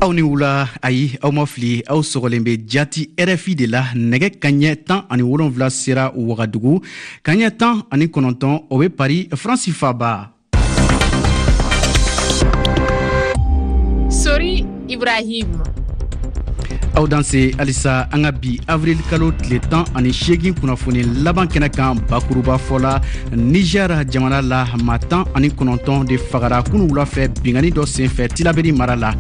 Aw ni wula. Ayi, aw ma fili, aw sɔgɔlen bɛ jati RFI de la. Nɛgɛ kaɲɛ 17 sera Wagadugu, kaɲɛ 19, o bɛ Paris, Faransi faaba. Sori Ibrahim. Aw danse halisa an ka bi avril kalo tile 18 kunnafoni laban kɛnɛ kan. Bakuruba fɔ la, Niger jamana la, maa 19 de fagara kunu wula fɛ binkanni dɔ senfɛ Tilaberi mara la.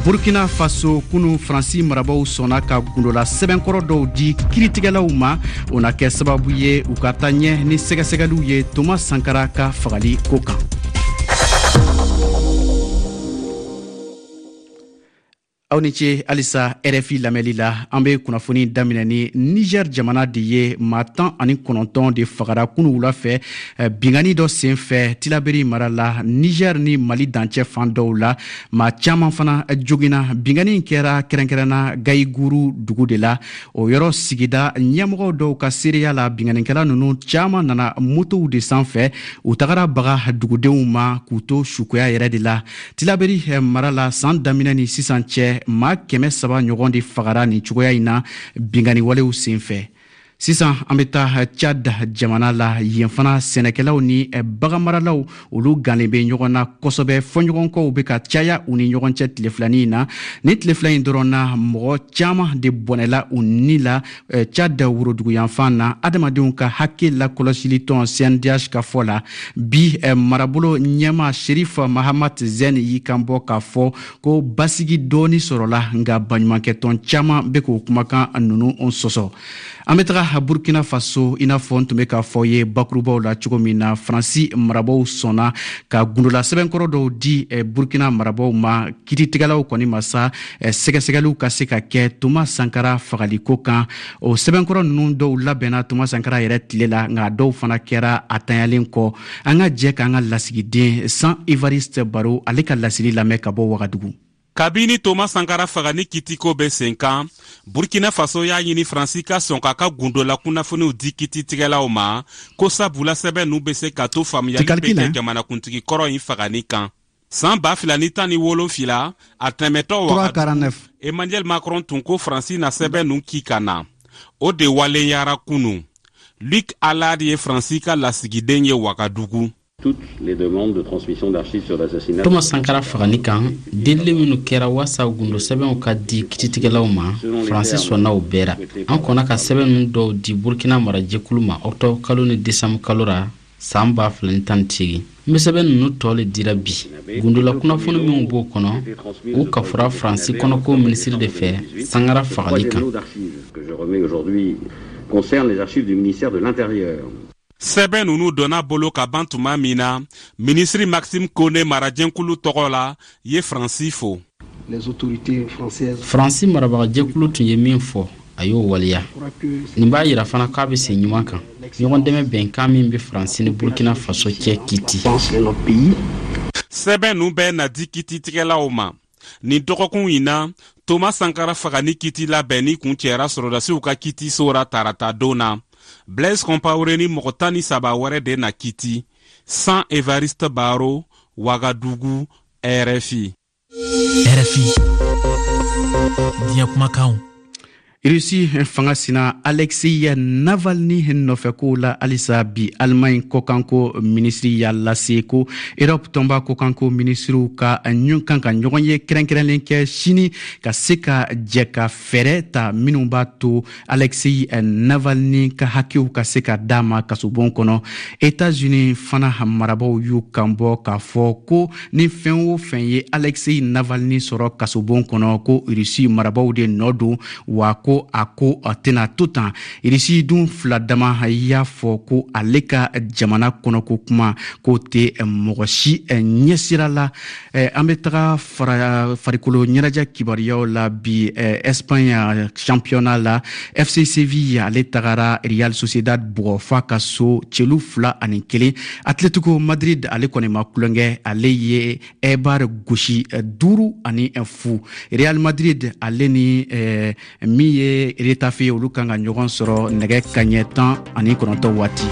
Burkina Faso, kunu Faransi marabaw sɔnna ka gundola sɛbɛnkɔrɔ dɔw di kiritigɛlaw ma. O na kɛ sababu ye u ka taa ɲɛ ni sɛgɛsɛgɛliw ye Thomas Sankara ka fagali ko kan. Aw ni ce halisa RFI lamɛnli la. An bɛ kunnafoni daminɛ ni Niger jamana de ye. Maa 19 de fagara kunu wula fɛ binkanni dɔ senfɛ Tilaberi mara la, Niger ni Mali dancɛ fan dɔw la. Maa caman fana joginna. Binkanni kɛra kɛrɛnkɛrɛnna Gayiguru dugu de la. O yɔrɔ sigida ɲɛmɔgɔ dɔw ka seereya la, binkannikɛla ninnu caman nana motow de sanfɛ. U tagara baga dugudenw ma k'u to sukoya yɛrɛ de la. Tilaberi mara la, san daminɛ ni sisan cɛ, maa 300 ɲɔgɔn de fagara nin cogoya in na binkanni walew senfɛ. Sisan an bɛ taa Chad jamana la. Yen fana, sɛnɛkɛlaw ni baganmaralaw, olu gannen bɛ ɲɔgɔn na kosɛbɛ. Fɔɲɔgɔnkɔw bɛ ka caya u ni ɲɔgɔn cɛ tile filanin in na. Ni tile fila in dɔrɔn na, mɔgɔ caman de bɔnɛla u ni la Chad woroduguyanfan na. Adamadenw ka hakɛ lakɔlɔsilitɔn CNDH ka fɔ la, bi marabolo ɲɛmaa Sherif Mahamat Zen y'i kan bɔ k'a fɔ ko basigi dɔɔni sɔrɔla, nka baɲumankɛtɔn caman bɛ k'o kumakan ninnu sɔsɔ. An bɛ taga Burkina Faso. I n'a fɔ n tun bɛ k'a fɔ ye bakurubaw la cogo min na, Faransi marabaw sɔnna ka gundola sɛbɛnkɔrɔ dɔw di Burkina marabaw ma, kiritigɛlaw kɔni ma sa, sɛgɛsɛgɛliw ka se ka kɛ Thomas Sankara fagaliko kan. O sɛbɛnkɔrɔ ninnu dɔw labɛnna Thomas Sankara yɛrɛ tile la, nka dɔw fana kɛra a tanyalen kɔ. An ka jɛ k'an ka lasigiden San Evariste Baro, ale ka laseli lamɛn ka bɔ Wagadugu. Kabini Thomas Sankara fagali kitiko bɛ sen kan, Burkina Faso y'a ɲini Faransi ka sɔn k'a ka gundola kunnafoniw di kititigɛlaw ma, ko sabula sɛbɛn ninnu bɛ se ka to faamuyali bɛ kɛ jamanakuntigi kɔrɔ in fagali kan. San 2017, a tɛmɛtɔ Wagadugu, Emmanuel Macron tun ko Faransi na sɛbɛn ninnu ki ka na. O de waleyara kunu. Luc Allard ye Faransi ka lasigiden ye Wagadugu. Thomas Sankara fagali kan, delili minnu kɛra waasa gundo sɛbɛnw ka di kititigɛlaw ma, Faransi sɔnna o bɛɛ ra. An kɔnna ka sɛbɛn ninnu dɔw di Burkina marajɛkulu ma ɔktɔbr kalo ni desanburu kalo ra san 2018. N bɛ sɛbɛn ninnu tɔ le dira bi. Gundola kunnafoni minw b'o kɔnɔ, u kafora Faransi kɔnɔko minisiri de fɛ Sankara fagali kan. Sɛbɛn ninnu donna bolo ka ban tuma min na, minisiri Maxime Kone, marajɛkulu tɔgɔ la, ye Faransi fo. Faransi marabagajɛkulu tun ye min fɔ, a y'o waleya. Nin b'a yira fana k'a bɛ sen ɲuman kan, ɲɔgɔn dɛmɛ bɛnkan min bɛ Faransi ni Burkina Faso cɛ kiti. Sɛbɛn ninnu bɛɛ na di kititigɛlaw ma nin dɔgɔkun in na. Thomas Sankara fagali kiti labɛnni kuncɛra sɔrɔdasiw ka kitiso ra tarata don na. Blaise Compaoré ni mɔgɔ 13 wɛrɛ de na kiti. San Evariste Baro, Wagadugu, RFI. RFI, diɲɛ kumakanw. Rusi fanga sina Alexei Navalny nɔfɛkow la halisa bi, Allemagne kɔkanko minisiri y'a lase ko Europe tɔnba kɔkanko minisiriw ka kan ka ɲɔgɔn ye kɛrɛnkɛrɛnlen kɛ sini, ka se ka jɛ ka fɛɛrɛ ta minnu b'a to Alexei Navalny ka hakɛw ka se ka d'a ma kasobon kɔnɔ. États-Unis fana marabaw y'u kanbɔ k'a fɔ ko ni fɛn o fɛn ye Alexei Navalny sɔrɔ kasobon kɔnɔ, ko Rusi marabaw de nɔ don, wa ko a ko a tɛna to tan. Irisi dun fila dama y'a fɔ ko ale ka jamana kɔnɔko kuma k'o tɛ mɔgɔ si ɲɛsira la. An bɛ taga farikolo ɲɛnajɛ kibaruyaw la bi. Espagne championnat la, FC Seville, ale tagara Real Sociedad bugɔ f'a ka so, celu 2-1. Atletico Madrid, ale kɔni ma tulonkɛ, ale ye Eibar gosi 5-0. Real Madrid, ale ni min ye Getafe, olu kan ka ɲɔgɔn sɔrɔ nɛgɛ kaɲɛ 19 waati.